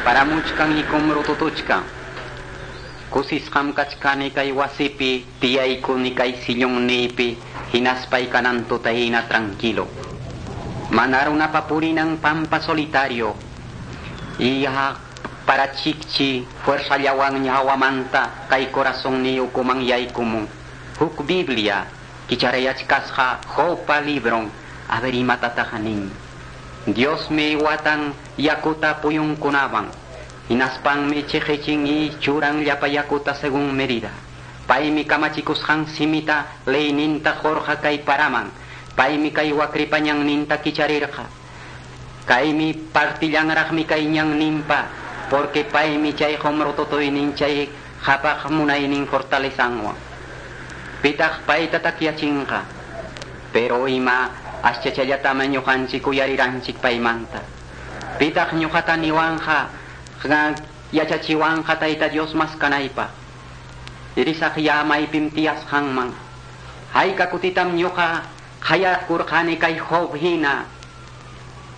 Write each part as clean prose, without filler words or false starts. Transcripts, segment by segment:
Paramuchkan y kumrututuchkan. Kusisqam kachkani kay wasipi, tiyaykuni kay sillonniypi, hinaspay kanan tutahina tranquilo. Mana runapa purinan pampa solitario. Y para chikchi fuerzallawan hawamanta kay corazonniyukuman ukuman yaykumun. Huk Biblia kicharayachkasqa Jobpa libron, a ver imatataq nin. Diosmi watan yakuta puyunkunawan. Hinaspanmi chiqichin y churan llapa yakuta según medida. Paymi kamachikusqan simita leyninta qurqa kay paraman. Paymi kay wakripa ñanninta kicharirqa. Kaymi partillanraqmi kay ñanninpa, porque paymi chay qumrututuynin chay qhapaq munaynin fortalezanwan. Pitaq payta takyachinqa. Pero ima aschachallatama ñuqanchik uyariranchik paymanta. Pitaq ñuqata niwanja yachachiwanja Tayta Dios maskanaypaq. Risaq yamaypim tiyasqanman. Hayka kutitam ñuqa qayakurqani kay Job hina.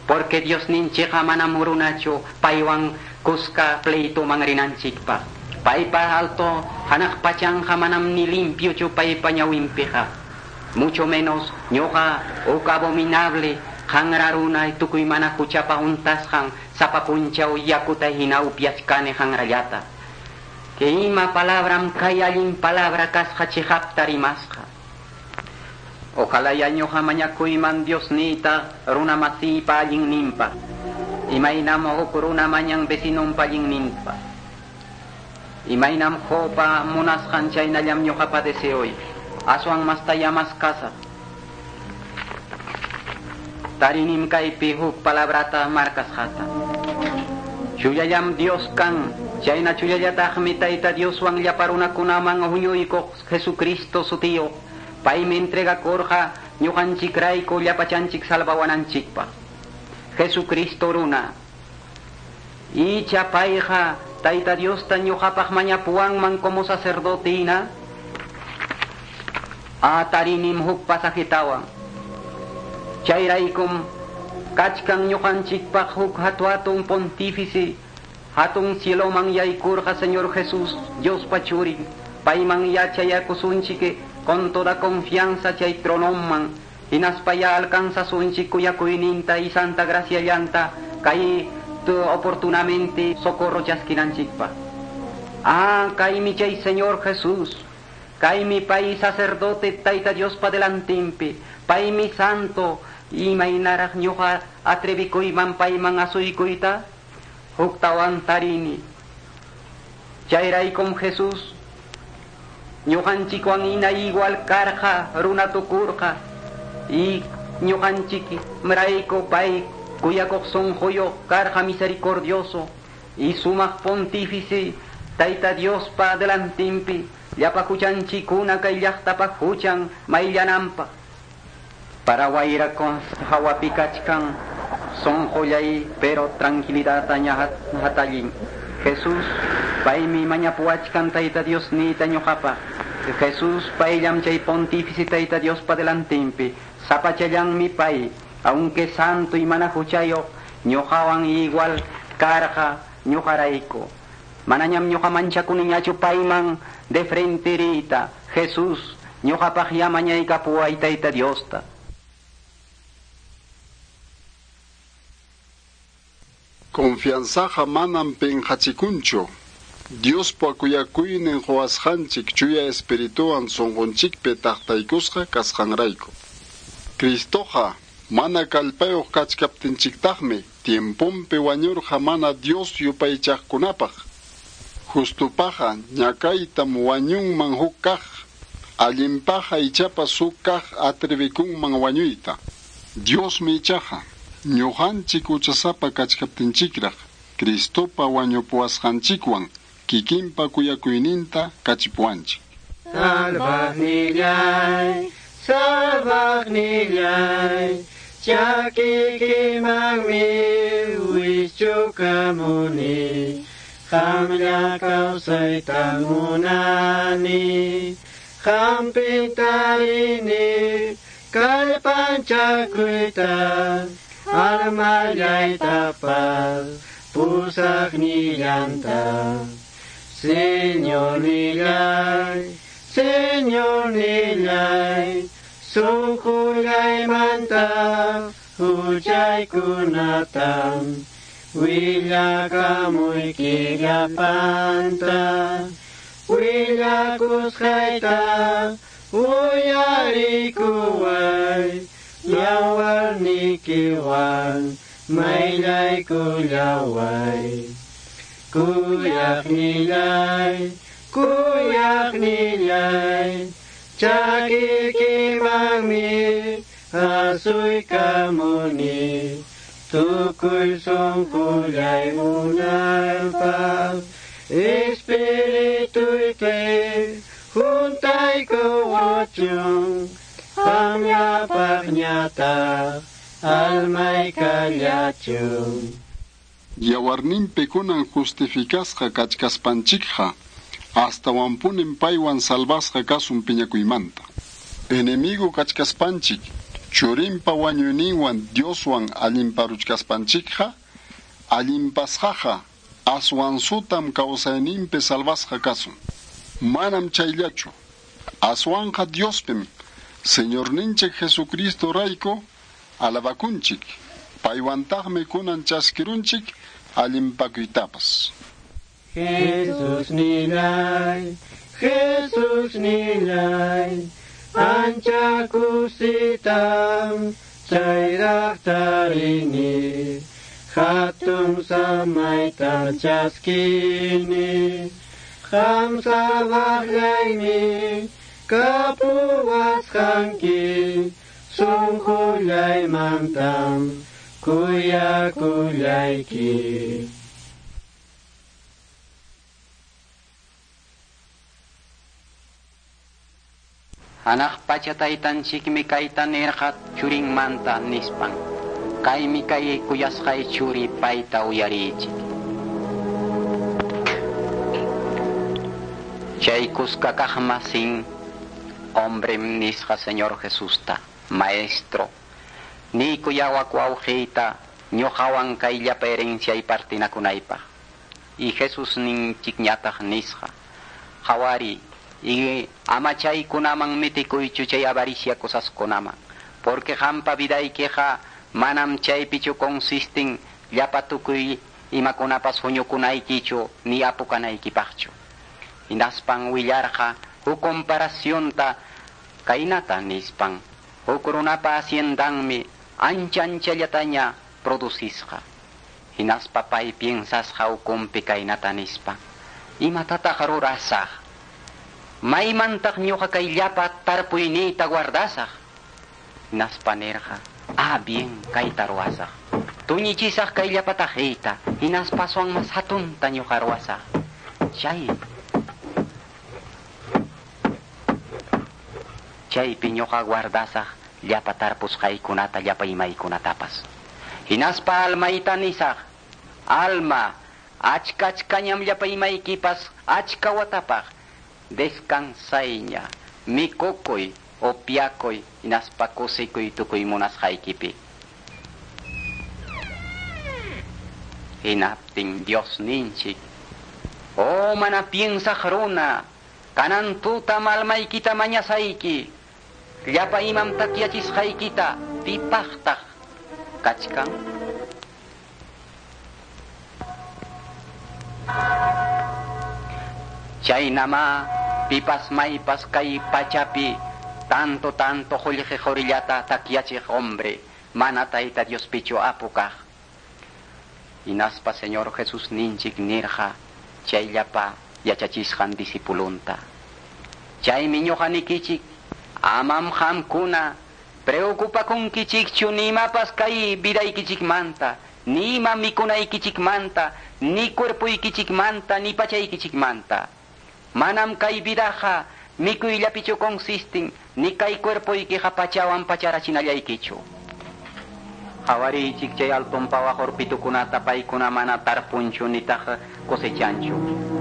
Porque Dios ninchikqa manam runachu paywan kuska pleituman rinanchikpaq. Paypa alto hanaq pachanja manam ni limpiochu paypa ñawinpiqa. Mucho menos ñuqa huk abominable qanra runa tukuy mana huchapa untasqan sapa punchaw yakuta hina upyachkani qanrallata. Que ima palabram kay allin palabra kasqa chiqapta rimasqa. Ojalá ya ñuqa mañakuyman Diosniyta runa masiypa allinninpaq. Imaynam huk runa mañan vecinonpa allinninpaq. Imaynam Jobpa munasqan chaynallam ñuqapa deseoy. Aswan mastaya maskasaq. Tarinim kaypi huk palabrata markasqata. Chullallam Dios kan, chayna chullallataqmi Tayta Dioswan llapa runakunaman huñuykuq Jesucristo sutiyuq. Paymi entregakurqa ñuqanchikrayku llapachanchik salvawananchikpaq. Jesucristo runa. Icha payqa Tayta Diosta ñuqapaq mañapuwanman como sacerdote hina. Tarinim huk pasajetawan. Chayraykum kachkan ñuqanchikpaq huk hatuatun pontífice, hatun cieloman yaykurqa Señor Jesús, Diospa churin, payman yachayakusunchik con toda confianza chay tronoman, hinaspa ya alcanzasunchik kuyakuyninta y santa graciallanta kay oportunamente socorro chaskinanchikpaq. Kaymi chay Señor Jesús, kaymi pay sacerdote Tayta Diospa delantinpi, paymi santo, imaynaraq ñuqa atrevikuyman payman asuykuyta, huktawan tarini. Chayraykum Jesús, ñuqanchikwan ina igual karqa runa tukurqa, y ñuqanchik mrayku pay kuyakuq sunquyuq karqa misericordioso, y sumaq pontífice Tayta Diospa delantinpi, llapa huchanchikuna kay llaqtapa huchan mayllananpaq. Para wayra hawapi kachkan sunqullay pero tranquilidad hatallin. Jesús paymi mañapuwachkan Tayta Dios niyta ñuqapaq. Jesús payllam chay pontífice Tayta Diospa delantinpi, sapachallanmi pay, aunque santo y mana huchayuq, ñuqawan igual karqa ñuqarayku. Manañam ñuqa manchakuniñachu payman de frente riyta. Jesús ñuqapaq ya mañaykapuway Tayta Diosta. Confianzaqa manam pinqachikunchu. Diospa kuyakuynin quwasqanchik chuya espirituwan sunqunchikpi taqtaykusqa kasqanrayku. Cristoqa mana kallpayuq kachkaptinchiktaqmi tiemponpi wañurqa mana Dios yupaychaqkunapaq. Justupaqa ñakaytam wañunman huk kaq, allinpaqa ichapas huk kaq atrevikunman wañuyta. Diosmi ichaqa ñuqanchik huchasapa kachkaptinchikraq Cristopa wañupuwasqanchikwan kikinpa kuyakuyninta kachipuwanchik. Salvaqnillay, salvaqnillay, chakikimanmi wischukamuni, qamlla kawsayta munani, qampi tarini kallpanchakuyta, almallaytapas. Pusaqnillanta. Señornillay, Señornillay, sunqullaymanta huchaykunatam willakamuyki llapanta, willakusqayta uyarikuway, yawarnikiwan mayllaykullaway. Kuyaqnillay, kuyaqnillay, chakiykimanmi asuykamuni, tukuy sunqullay munaypaq, espirituyki juntaykuwachun, qamllapaqñataq almay kallachun. Yawarninpi kunan justificasqa kachkaspanchikqa, astawanpunim paywan salvasqa kasun piñakuymanta. Enemigo kachkaspanchik, churinpa wañuyninwan Dioswan allinparuchkaspanchikqa, allinpasqaqa aswan sutam kawsayninpi salvasqa kasun. Manam chayllachu, aswanqa Diospim, Señorninchik Jesucristo rayku alabakunchik, paywantaqmi kunan chaskirunchik allinpakuytapas. Jesus nillay, Jesus nillay, ancha kusitam chayraq tarini, hatun samayta chaskini, qam salvaqllaymi kapuwasqanki, sunqullaymantam kuyakullayki. Hanaq pacha taytanchikmi kayta nirqa churinmanta nispan. Kaymi kay kuyasqay churi payta uyariychik. Chay kuska kaqmasin hombrem nisqa Señor Jesusta, maestro, niykullawak wawqiyta ñuqawan kay llapa herenciay partinakunaypaq. Y Jesús ninchikñataq nisqa, qhawari y ama chaykunaman mitikuychu chay avaricia cosaskunaman, porque qampa vidaykiqa manam chaypichu consistin llapa tukuy imakunapas huñukunaykichu ni apukanaykipaqchu. Hinaspan willarqa huk comparacionta kaynata nispan, huk runapa haciendanmi ancha anchallataña producisqa. Hinaspa pay piensasqa ukunpi kaynata nispa, imatataq rurasaq? Maymantaq ñuqa kay llapa tarpuyniyta guardasaq? Hinaspa nirqa, ah bien, kayta ruwasaq. Tuñichisaq kay llapa taqiyta, hinaspa aswan mas hatunta ñuqa ruwasaq. Chaypi ñuqa guardasaq llapa tarpusqaykunata, llapa imaykunatapas. Hinaspa almayta nisaq, alma, achka achkañam llapa imaykipas achka watapaq, descansayña, mikukuy, opiakuy, hinaspa kusikuy tukuy munasqaykipi. Hinaptin Dios ninchik, oh mana piensaq runa, kanan tutam almaykita mañasayki, llapa imam takyachisqaykita pipaqtaq kachkan? Chaynama pipas maypas kay pachapi tanto tanto qullqi qurillata takyachiq hombre mana Tayta Diospichu apu kaq. Hinaspa Señor Jesús ninchik nirqa chayllapa yachachisqan discipulunta. Chaymi ñuqa nikichik, amam qamkuna preocupakunkichikchu ni imapas kay vidaykichikmanta, ni ima mikunaykichikmanta, ni cuerpoykichikmanta, ni pachaykichikmanta. Manam kay vidaqa mikuyllapichu consistin, ni kay cuerpoykiqa pachawan pacharachinallaykichu. Qhawariychik chay alton pawaq urpitukunata paykuna mana tarpunchu nitaq cosechanchu.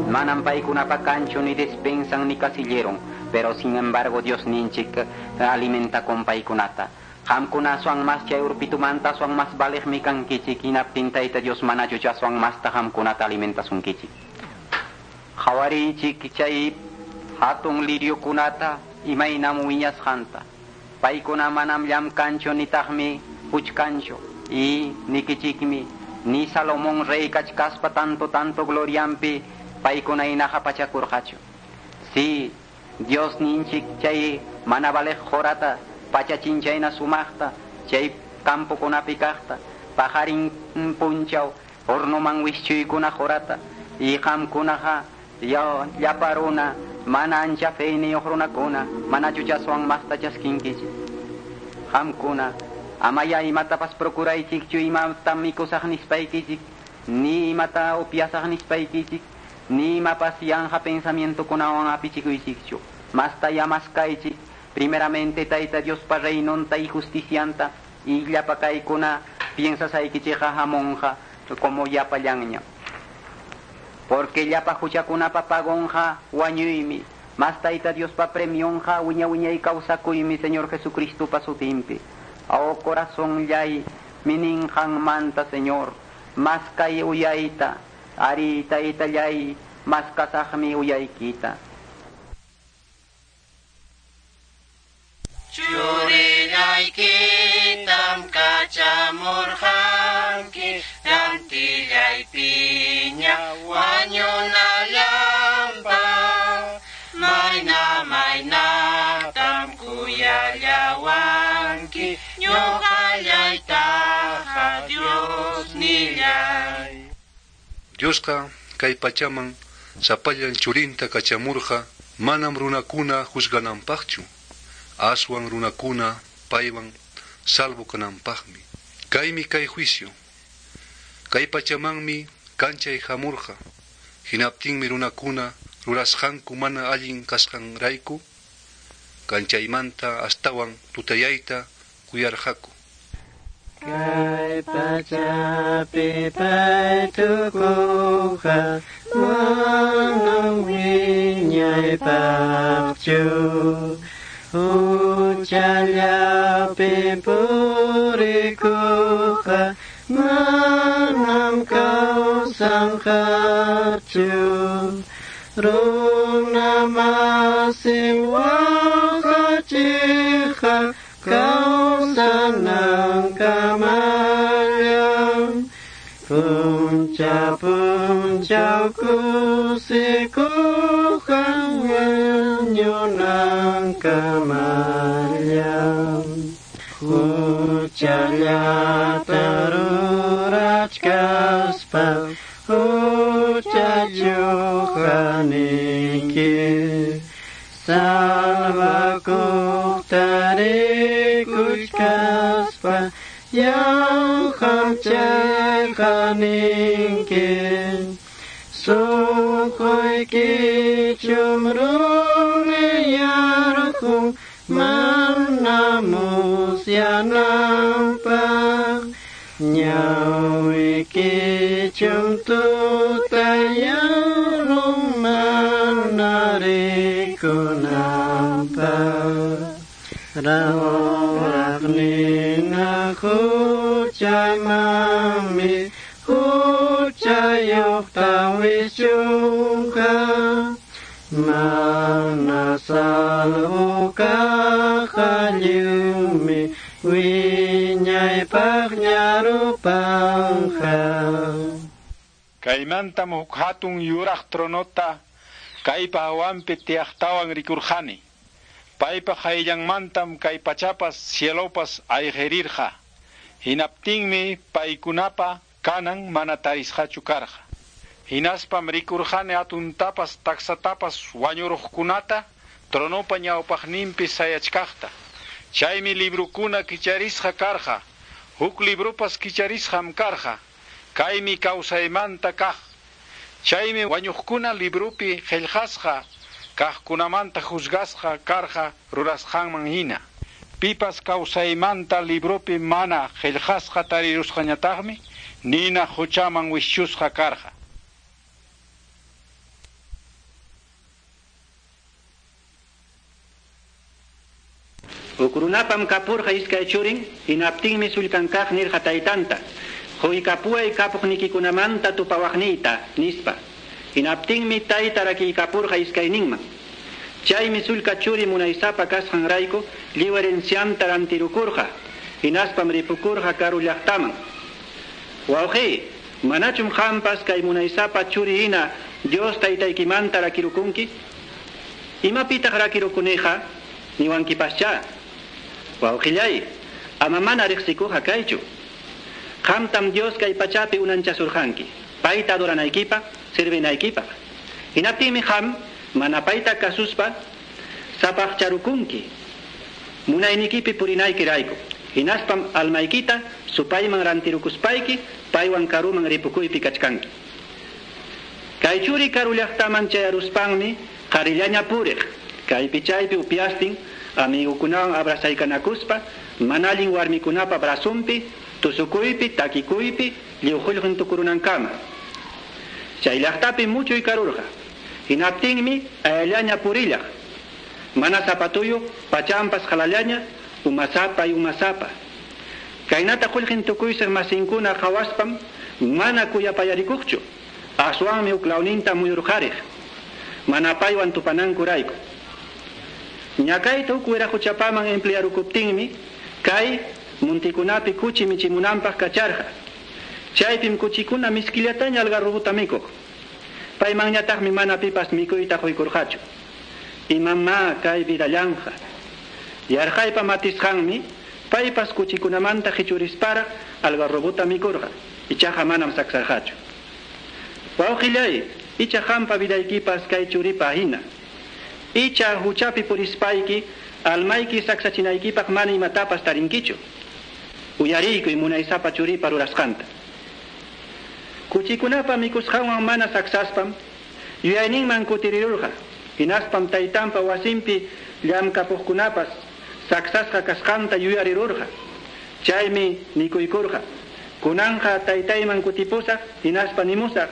Manam paykunapa kanchu ni despensan ni casilleron, pero sin embargo Dios ninchik alimenta con paykunata. Qamkuna aswan mas chay urpitumanta aswan mas valiqmi kankichik, hinaptin Tayta Dios manachu aswan masta qamkunata alimentasunkichik. Qhawariychik chay hatun liriokunata imaynam wiñasqanta. Paykuna manam llamkanchu nitaqmi puchkanchu. Y nikichikmi ni Salomón rey kachkaspa tanto tanto gloriampi paykuna hinaqa pachakurqachu. Si Dios ninchik chay mana valiq qhurata pachachin chayna sumaqta chay campokunapi kaqta paqarin punchaw hornoman wischuykuna qhurata y qamkunaqa llapa runa mana ancha feyniyuq runakuna manachu chaswan masta chaskinkichik. Qamkuna amaya imatapas procuraychikchu imata mikusaq nispaykichik, ni imata upyasaq nispaykichik, ni imapas yanqa pensamientokunawan apichikuychikchu. Masta yamaskaychik primeramente Tayta Diospa reinonta y justicianta y llapa kaykuna piensasaykichikqa hamunqa como llapallanña. Porque llapa huchakunapa pagonqa wañuymi, mas Tayta Diospa premionqa wiña wiñay kawsakuymi Señor Jesucristopa sutinpi. Oh corazón llay mininqanmanta Señor, mas kay uyayta, ari Taytallay, mas kasaqmi uyaykita. Churillaykitam kachamurqanki, rantillaypiña wañunallanpaq. Mayna maynatam kuyallawanki, ñuqallaytaqa Dios nillay. Diosqa kay pachaman sapallan churinta kachamurqa manam runakuna juzgananpaqchu, aswan runakuna paywan salvo kananpaqmi. Kaymi kay juicio. Kay pachamanmi kanchay hamurqa, hinaptinmi runakuna rurasqanku mana allin kasqanrayku kanchaymanta astawan tutayayta kuyarqaku. Kay pachapi pay tukuqqa manam wiñaypaqchu, huchallapi purikuqqa manam kawsanqachu. Runa masin waqachiqqa kawsanankamallam, puncha punchaw kusikuqqa wañunankamallam. Huchallata rurachkaspa huchayuq kaniki, salvakuqta rikuchkaspa yanqam chayqaninki. Sunquykichum rumiyarqun mana musyananpaq, ñawikichum tutayarun mana rikunanpaq. Rawraqnina huchaymanmi huchayuqta wischunqa, mana salvo kaqqa lliwmi wiñaypaq ñarupanqa. Kaymantam huk hatun yuraq tronota kaypa hawanpi tiyaqtawan rikurqani. Paypa hayllanmantam kay pachapas cielopas ayqirirqa. Hinaptinmi paykunapa kanan mana tarisqachu karqa. Hinaspam rikurqani hatuntapas taksatapas wañuruqkunata tronopa ñawpaqninpi sayachkaqta. Chaymi librukuna kicharisqa karqa. Huk librupas kicharisqam karqa. Kaymi kawsaymanta kaq. Chaymi wañuqkuna librupi qillqasqa kaqkunamanta juzgasqa karqa rurasqanman hina. Pipas kawsaymanta librupi mana qillqasqa tarirusqañataqmi nina huchaman wischusqa karqa. Huk runapam kapurqa iskay churin, hinaptinmi sullkan kaq nirqa taytanta. Quykapuway kapuqnikikunamanta tupawaqniyta, nispa. Hinaptinmi tayta rakiykapurqa iskayninman. Chaymi sullka churi munaysapa kasqanrayku lliw herencianta rantirukurqa. Hinaspam ripukurqa karu llaqtaman. Wawqiy, manachum qampas kay munaysapa churi hina Dios taytaykimanta rakirukunki? Imapitaq rakirukuniqa? Niwankipaschá. Wawqillay, ama mana riqsikuqa kaychu. Qamtam Dios kay pachapi unanchasurqanki, payta adoranaykipaq, sirvinaykipaq. Hinaptinmi qam mana payta kasuspa sapaqcharukunki. Munaynikipi purinaykirayku. Hinaspam almaykita supayman rantirukuspayki paywan karuman ripukuypi kachkanki. Kay churi karu llaqtaman chayaruspanmi qarillaña puriq. Kaypi chaypi upiastin amigukunawan abrasaykanakuspa mana allin warmikunapa brazunpi tusukuypi takikuypi lliw qullqin tukurunankama. Chay llaqtapi muchuy karurqa. Hinaptinmi ayallaña purillaq. Mana zapatuyuq, pachampas qalallaña, umasapa y umasapa. Kaynata qullqin tukuysiq masinkuna qhawaspam mana kuyapayarikuqchu. Aswanmi uklawninta muyurqariq. Mana paywan tupanankurayku. Ñakayta huk wiraquchapaman emplearukuptinmi kay muntikunapi kuchi michimunanpaq kacharqa. Chaypim kuchikuna miskillataña algarrobuta mikuq. Paymanñataqmi mana pipas mikuyta quykurqachu. Imamá kay vidallanqa. Yarqaypa matisqanmi paypas kuchikunamanta qichurisparaq algarrobuta mikurqa. Ichaqa manam saksarqachu. Wawqillay, icha qampa vidaykipas kay churipa hina. Icha huchapi purispayki, almayki saksachinaykipaq mana imatapas tarinkichu. Uyariykuy munaysapa churipa rurasqanta. Kuchikunapa mikusqanwan mana saksaspam, yuyayninman kutirirurqa. Hinaspam taytanpa wasinpi llamkapuqkunapas saksasqa kasqanta yuyarirurqa. Chaymi nikuykurqa. Kunanqa taytayman kutipusaq, hinaspa nimusaq.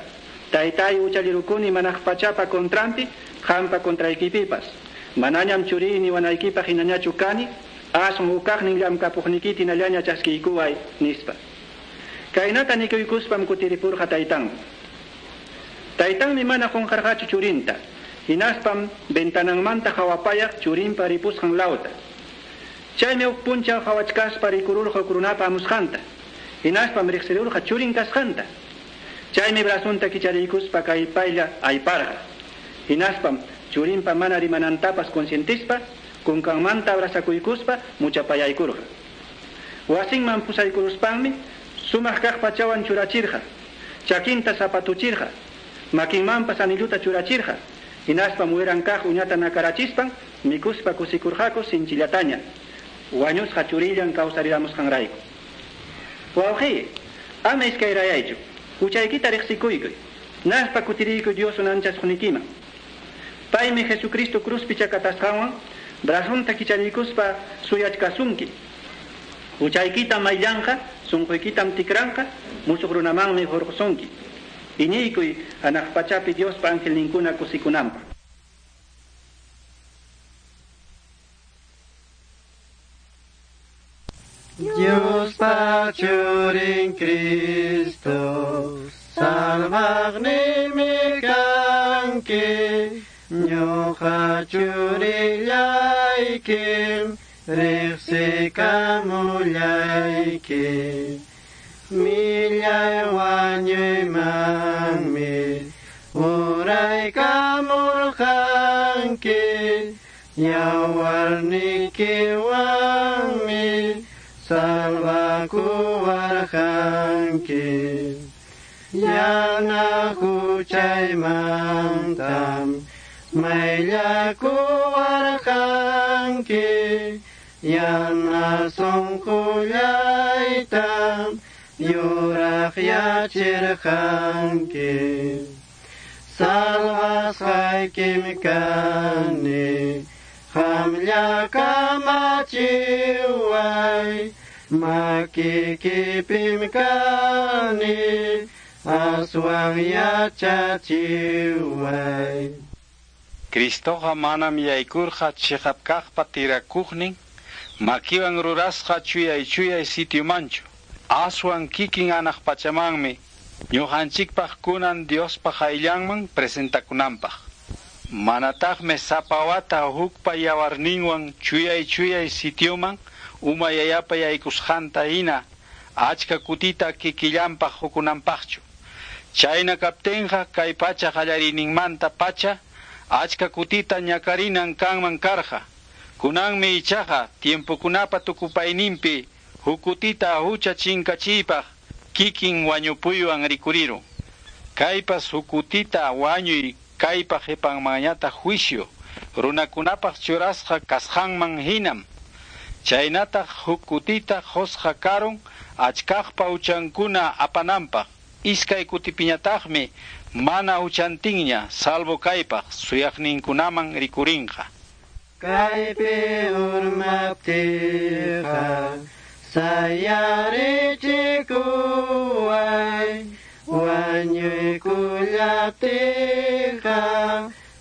Taytay uchallirukuni manaq pachapa contranpi, qampa contraykipipas. Manañam churini wanaykipaq hinañachu kani, aswan hukaqnin llamkapuqnikita hinallaña chaskiykuway, nispa. Kaynata nikuykuspam kutiripurqa taytanman. Taytanmi mana qunqarqachu churinta. Hinaspam ventananmanta hawapayaq churinpa ripusqan lawta. Chaymi huk punchaw hawachkaspa rikururqa huk runapa amusqanta. Hinaspam riqsirurqa churin kasqanta. Chaymi brazunta kichariykuspa kaypaylla ayparqa. Hinaspam churinpa mana rimanantapas consientispa, kunkanmanta abrazakuykuspa muchapayaykurqa. Wasinman pusaykuruspanmi sumaq kaq pachawan churachirqa, chakinta zapatuchirqa, makinmanpas anilluta churachirqa. Hinaspam wiran kaq uñata nakarachispan mikuspa kusikurqaku sinchillataña. Wañusqa churillan kawsariramusqanrayku. Wawqiy, ama iskayrayaychu. Huchaykita riqsikuykuy. Naspa kutiriykuy Dios unanchasqunikiman. Paymi Jesucristo cruzpi chakatasqanwan brazunta kichariykuspa suyachkasunki. Huchaykita mayllanqa, sunquykitam tikranqa, musuq runamanmi hurqusunki. Iñiykuy hanaq pachapi Diospa angelninkuna kusikunanpaq. Diospa churin Cristo, salvaqniymi kanki, ñuqa churillaykim, riqsikamullayki. Millay wañuymanmi uraykamurqanki, yawarnikiwanmi salvakuwarqanki. Yana huchaymantam mayllakuwarqanki, yana sunqullaytam yuraqyachirqanki. Salvasqaykim kani, qamlla kamachiway, makikipim kani, aswan yachachiway. Cristoqa manam yaykurqa chiqap kaqpa tirakuqnin, Makiwan rurasqa chuyay chuyay sitiomanchu. Aswan kikin anaq pachamanmi ñuqanchikpaq kunan Diospa qayllanman presentakunanpaq. Manataqmi sapa wata hukpa yawarninwan chuyay chuyay sitioman uma yayapa yaykusqanta hina achka kutita kikillanpaq hukunanpaqchu. Chayna kaptinqa kay pacha qallariyninmanta pacha achka kutita ñakarinan kanman karqa. Kunanmi ichaqa tiempokunapa tukupayninpi huk kutita hucha chinkachiypaq kikin wañupuywan rikurirun. Kaypas huk kutita wañuy kaypa qhipanmanñataq juicio runakunapaq churasqa kasqanman hinam. Chaynataq huk kutita qusqa karun achkaqpa huchankuna apananpaq. Iskay kutipiñataqmi mana huchantinña salvo kaypaq suyaqninkunaman rikurinqa. Kaypi urmaptiqa sayarichikuway, wañuykullaptiqa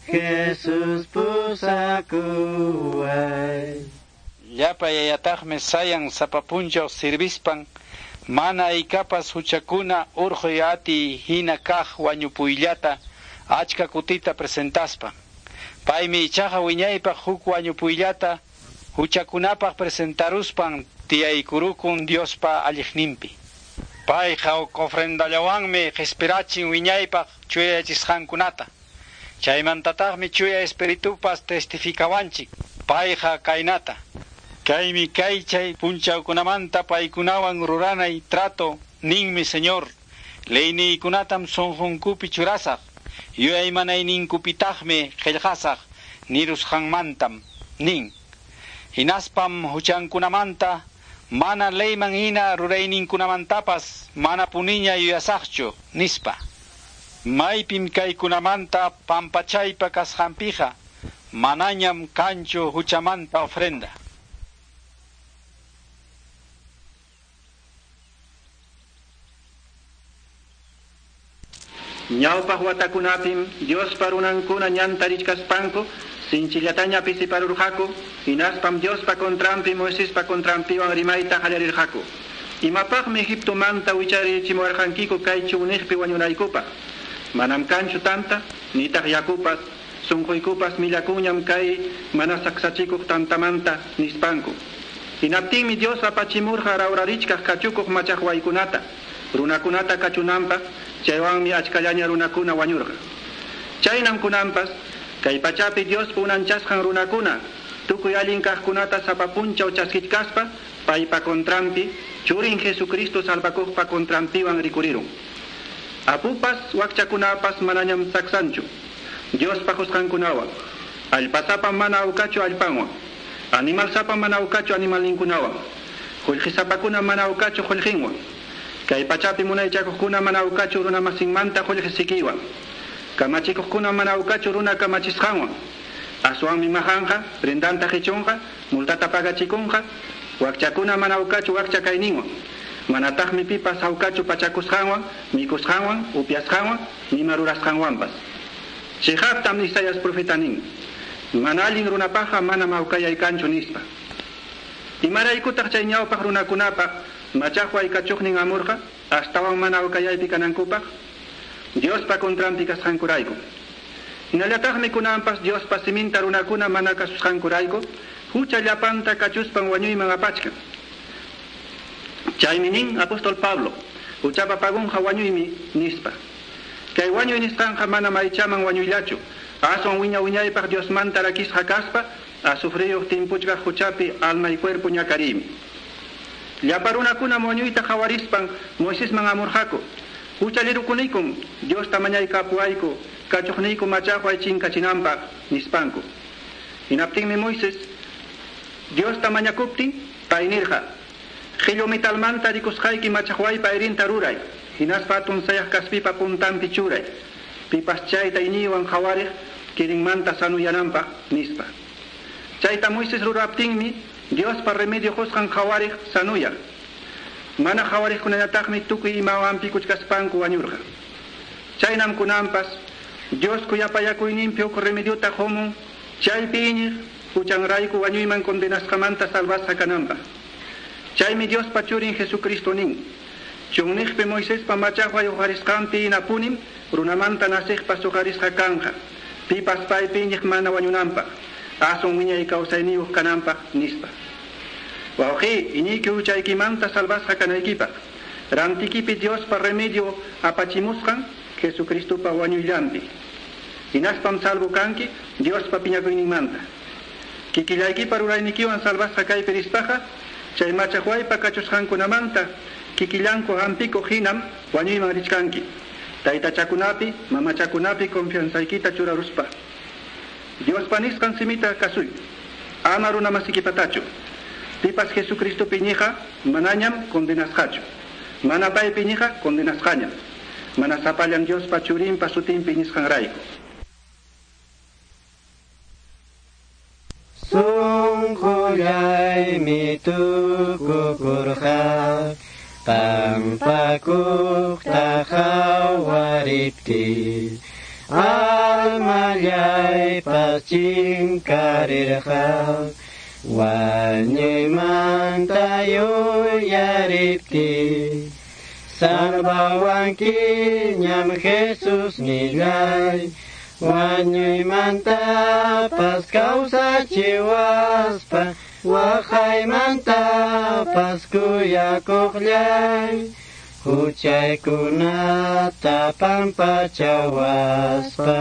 Jesus pusakuway. Llapa yayataqmi sayan sapa punchaw sirvispan mana aykapas huchakuna urquy atiy hina kaq wañupuyllata achka kutita presentaspa. Paymi ichaqa wiñaypaq huk wañupuyllata huchakunapaq presentaruspan tiyaykurukun Diospa alliqninpi. Payqa huk ofrendallawanmi qispirachin wiñaypaq chuyayachisqankunata. Chaymantataqmi chuya espiritupas testifikawanchik. Payqa kaynata. Kaymi kay chay punchawkunamanta paykunawan ruranay trato ninmi Señor. Leyniykunatam sunqunkupi churasaq. Yuyaymanayninkupitaqmi qillqasaq nirusqanmantam nin. Hinaspam huchankunamanta mana leyman hina rurayninkunamantapas mana puniña yuyasaqchu nispa. Maypim kaykunamanta pampachaypa kasqanpiqa manañam kanchu huchamanta ofrenda. Ñawpaq watakunapim Diospa runankuna ñanta richkaspanku sinchillataña pisiparurqaku, hinaspam Diospa contranpi Moisespa contranpiwan rimayta qallarirqaku. Imapaqmi Egiptomanta wicharichimuwarqankiku kay chunniqpi wañunaykupaq. Manam kanchu tanta, nitaq yakupas, sunquykupas millakunñam kay mana saksachikuq tantamanta nispanku. Hinaptinmi Dios apachimurqa rawrarichkaq kachukuq machaqwaykunata, runakunata kachunanpaq, chaywanmi achkallaña runakuna wañurqa. Chaynam kunanpas, kay pachapi Diospa unanchasqan runakuna, tukuy allin kaqkunata sapa punchaw chaskichkaspa, paypa contranpi, churin Jesucristo salvakuqpa contranpiwan rikurirun. Apupas wakchakunapas manañam saksanchu, Diospa qusqankunawan, allpasapa mana awkachu allpanwan, animalsapa mana awkachu animalninkunawan, qullqisapakuna mana awkachu qullqinwan, kay pachapi munaychakuqkuna mana awkachu runa masinmanta qullqisikiwan, kamachikuqkuna mana awkachu runa kamachisqanwan, aswanmi majanqa, prendanta qichunqa, multata pagachikunqa, wakchakuna mana awkachu wakcha kayninwan, manataqmi pipas awkachu pachakusqanwan, mikusqanwan, upyasqanwan, nima rurasqanwanpas. Chiqaptam Isaías profeta nin, mana allin runapaqqa manam awkayay kanchu nispa. Imaraykutaq chay ñawpaq runakunapaq machaqway kachuqnin amurqa, astawan mana awkayaypi kanankupaq, Diospa contranpi kasqankurayku. Hinallataqmi kunanpas Diospa siminta runakuna mana kasusqankurayku, hucha llapanta kachuspan wañuyman apachkan. Chaymi nin apóstol Pablo, huchapa pagunqa wañuymi nispa. Kay wañuy nisqanqa mana maychaman wañuyllachu, aswan wiña wiñaypaq Diosmanta rakisqa kaspa, azufriyuq timpuchkaq huchapi alma y cuerpo ñakariymi. Llapa runakuna wañuyta qhawarispan Moisesman amurqaku, huchalirukunikum Diosta mañaykapuwayku, kachuqniyku machaqway chinkachinanpaq nispanku. Hinaptinmi Moisés Diosta mañakuptin pay nirqa, qhillu metalmanta rikusqayki machaqwaypa ayrinta ruray, hinaspa atun sayaq kaspipa puntanpi churay, pipas chayta iñiywan qhawariq kirinmanta sanuyananpaq nispa. Chayta Moisés ruraptinmi Diospa remedio qusqan qhawariq sanuyaq. Mana qhawariqkunañataqmi tukuy imawanpi kuchkaspanku wañurqa. Chaynam kunanpas Dios kuyapayakuyninpi huk remediota qumun, chaypi iñiq Huchanrayku wañuyman condenasqamanta salvasqa kananpaq. Chaymi Diospa churin Jesucristo nin. Chunniqpi Moisespa machaqway uqarisqanpi hinapunim runamanta naciqpas uqarisqa kanqa. Pipas paypi iñiq mana wañunanpaq. Aswan wiñay kawsayniyuq kananpaq nispa. Wawqi, iñiyki huchaykimanta salvasqa kanaykipaq. Rantikipi Diospa remedio apachimusqan Jesucristopa wañuyllanpi. Hinaspam salvo kanki Diospa piñakuyninmanta. Kikillaykipa ruraynikiwan salvasqa kaypi rispaqa, chay machaqwaypa kachusqankunamanta kikillanku hampikuq hinam wañuyman richkanki. Taytachakunapi, mamachakunapi confianzaykita churaruspa. Diospa nisqan simita kasuy. Ama runa masikipatachu. Pipas Jesucristopi iñiqqa manañam condenasqachu. Mana paypi iñiqqa condenasqañam. Mana sapallan Diospa churinpa sutinpi iñisqanrayku. Sunqullaymi tukukurqa pampakuqta qhawariptiy almallaypas chinkarirqa wañuymanta yuyariptiy salvawankiñam Jesús nillay wañuymantapas kawsachiwaspa waqaymantapas kuyakuqllay huchaykunata pampachawaspa.